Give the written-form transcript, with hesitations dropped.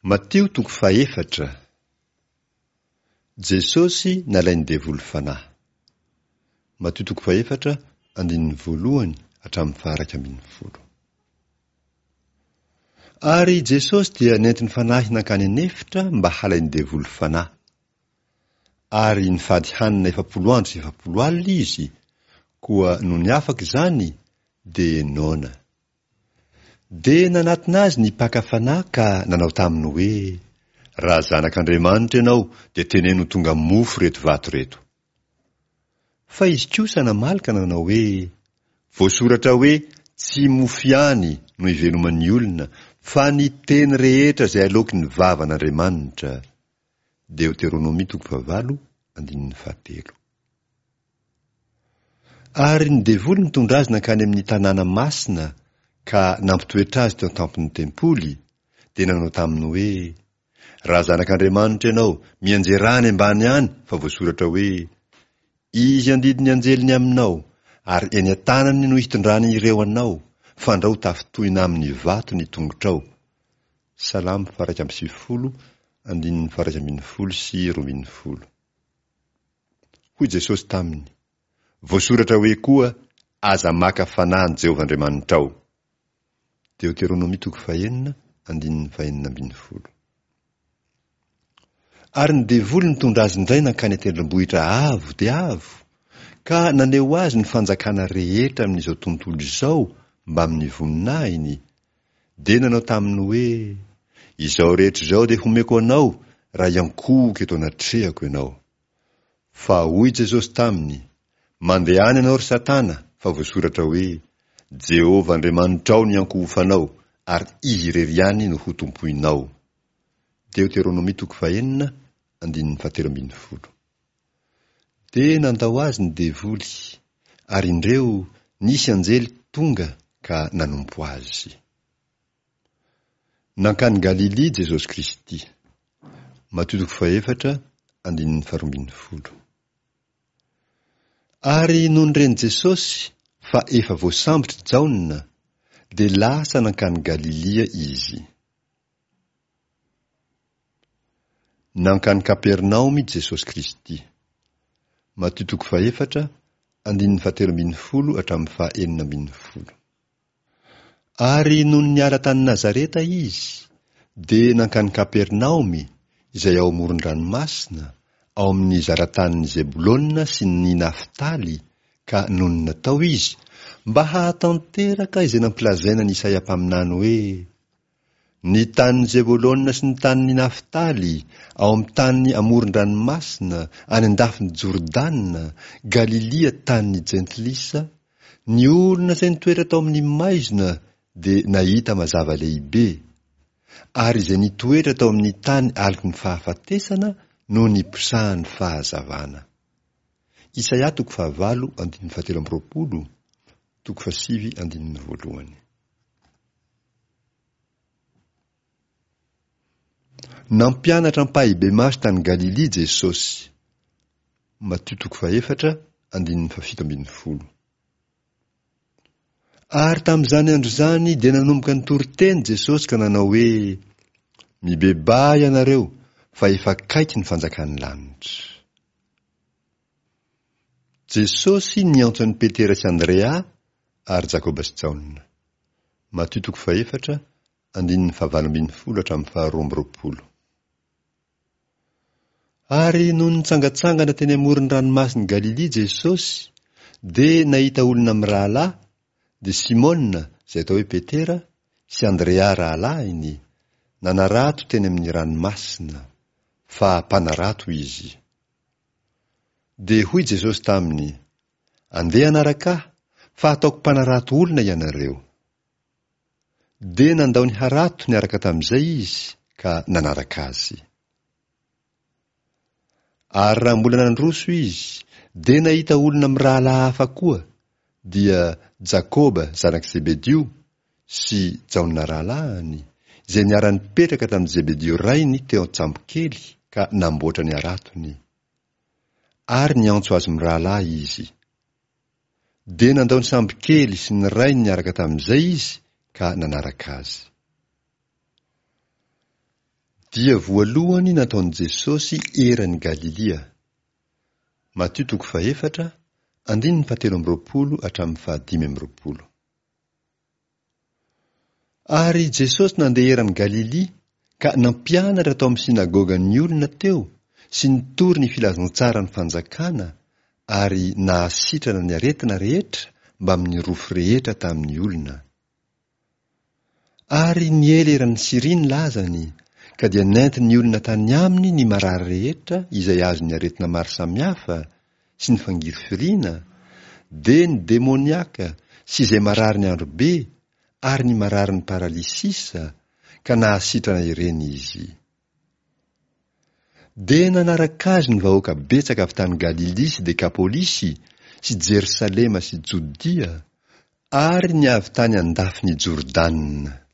Matio toko fahefatra. Jesosy nalain'ny devoly fanahy. Matio toko fahefatra andininy voalohany hatramin'ny faha-11. Ary Jesosy dia nentin'ny fanahy nankany an'efitra mba halain'ny devoly fanahy. Ary nifady hanina 40 andro sy 40 alina izy, koa nony afaka izany dia noana. Dia nanatona azy ny mpaka fanahy ka nanao taminy hoe, Raha Zanak'Andriamanitra ianao, dia teneno ho tonga mofo ireto vato ireto. Fa izy kosa namaly ka nanao hoe, Voasoratra hoe, Tsy mofo ihany no iveloman'ny olona, fa ny teny rehetra izay aloaky ny vavan'Andriamanitra. Deoteronomia toko fahavalo, andininy fahatelo. Ary ny devoly nitondra azy nankany amin'ny tanàna masina ka nampitoetra azy teo an-tampon'ny tempoly, dia nanao taminy hoe, Raha Zanak'Andriamanitra ianao, mianjerà any ambany any, fa voasoratra hoe, Izy handidy ny anjeliny aminao, ary eny an-tanany no hitondrany ireo anao, fandrao ho tafintohina amin'ny vato ny tongotrao. Salamo faha-91, andininy faha-11 sy 12. Hoy Jesosy taminy, Voasoratra hoe koa, Aza maka fanahy an'i Jehovah Andriamanitrao. Deoteronomia toko fahenina, andininy fahenina ambin'ny folo. Ary ny devoly nitondra azy indray nankany an-tendrombohitra avo dia avo, ka naneho azy ny fanjakana rehetra amin'izao tontolo izao mbamin'ny voninahiny, dia nanao taminy hoe, Izao rehetra izao dia homeko anao raha hiankohoka eto anatrehako ianao. Fa hoy Jesosy taminy, Mandehana ianao, ry Satana, fa voasoratra hoe, Jehovah Andriamanitrao no hiankohofanao, ary Izy irery ihany no hotompoinao. Deoteronomia toko fahenina, andininy fahatelo ambin'ny folo. Dia nandao azy ny devoly, ary indreo nisy anjely tonga ka nanompo azy. Nankany Galilia Jesosy Kristy. Matio toko fahefatra, andininy faharoa ambin'ny folo. Ary nony ren'i Jesosy fa efa voasambotra Jaona, dia lasa nankany Galilia izy. Nankany Kapernaomy Jesosy Kristy. Matio toko fahefatra, andininy fahatelo ambin'ny folo hatramin'ny faha-enina ambin'ny folo. Ary nony niala tany Nazareta izy, dia nankany Kapernaomy, izay ao amoron-dranomasina, ao amin'ny zaratanin'i Zebolona sy ny Naftaly, ka nonina tao izy, mba hahatanteraka izay nampilazaina an'i Isaia mpaminany hoe, Ny tanin'i Zebolona sy ny tanin'i Naftaly, ao amin'ny tany amoron-dranomasina, any an-dafin'i Jordana, Galilia tanin'ny Jentilisa, ny olona izay nitoetra tao amin'ny maizina dia nahita mazava lehibe, ary izay nitoetra tao amin'ny tany aloky ny fahafatesana no niposahan'ny fahazavana. Isaia toko fahavalo andininy fahatelo amby roapolo, toko fahasivy andininy voalohany. Nampianatra ampahibemaso tany Galilia Jesosy. Matio toko fahefatra, andininy fahafito ambin'ny folo. Ary tamin'izany andro izany dia nanomboka nitory teny Jesosy ka nanao hoe, Mibebaha ianareo, fa efa akaiky ny fanjakan'ny lanitra. Jesosy niantso an'i Petera sy Andrea ary Jakoba sy Jaona. Matio toko fahefatra, andininy fahavalo ambin'ny folo hatramin'ny faharoa amby roapolo. Ary nony nitsangantsangana teny amoron'ny ranomasin'i Galilia Jesosy, dia nahita olona mirahalahy, dia Simona, izay atao hoe Petera, sy Andrea rahalahiny, nanarato teny amin'ny ranomasina, fa mpanarato izy. Dia hoy Jesosy taminy, Andeha hanaraka Ahy, fa hataoko mpanarato olona ianareo. Dia nandao ny harato niaraka tamin'izay izy ka nanaraka Azy. Ary raha mbola nandroso izy, dia nahita olona mirahalahy hafa koa, dia Jakoba zanak'i Zebedio sy Jaona rahalahiny, izay niara-nipetraka tamin'i Zebedio rainy teo an-tsambokely ka namboatra ny haratony. Ary niantso azy mirahalahy izy. Dia nandao ny sambokely sy ny rainy niaraka tamin'izay izy ka nanaraka azy. Dia voalohany nataon'i Jesosy eran'i Galilia. Matio toko fahefatra, andininy fahatelo amby roapolo hatramin'ny fahadimy amby roapolo. Ary Jesosy nandeha eran'i Galilia ka nampianatra tao amin'ny synagogan'ny olona teo sy nitory ny filazantsaran'ny fanjakana ary nahasitrana ny aretina rehetra mbamin'ny rofy rehetra tamin'ny olona. Ary niely eran'i Syria ny lazany, ka dia nentin'ny olona tany aminy ny marary rehetra izay azon'ny aretina maro samihafa sy ny fangirifiriana, dia ny demoniaka sy izay marary ny androbe ary ny mararin'ny paralysisa, ka nahasitrana ireny izy. Dia nanaraka azy ny vahoaka betsaka avy tany Galilia sy Dekapolisy sy Jerosalema sy Jodia ary ny avy tany an-dafin'i Jordana.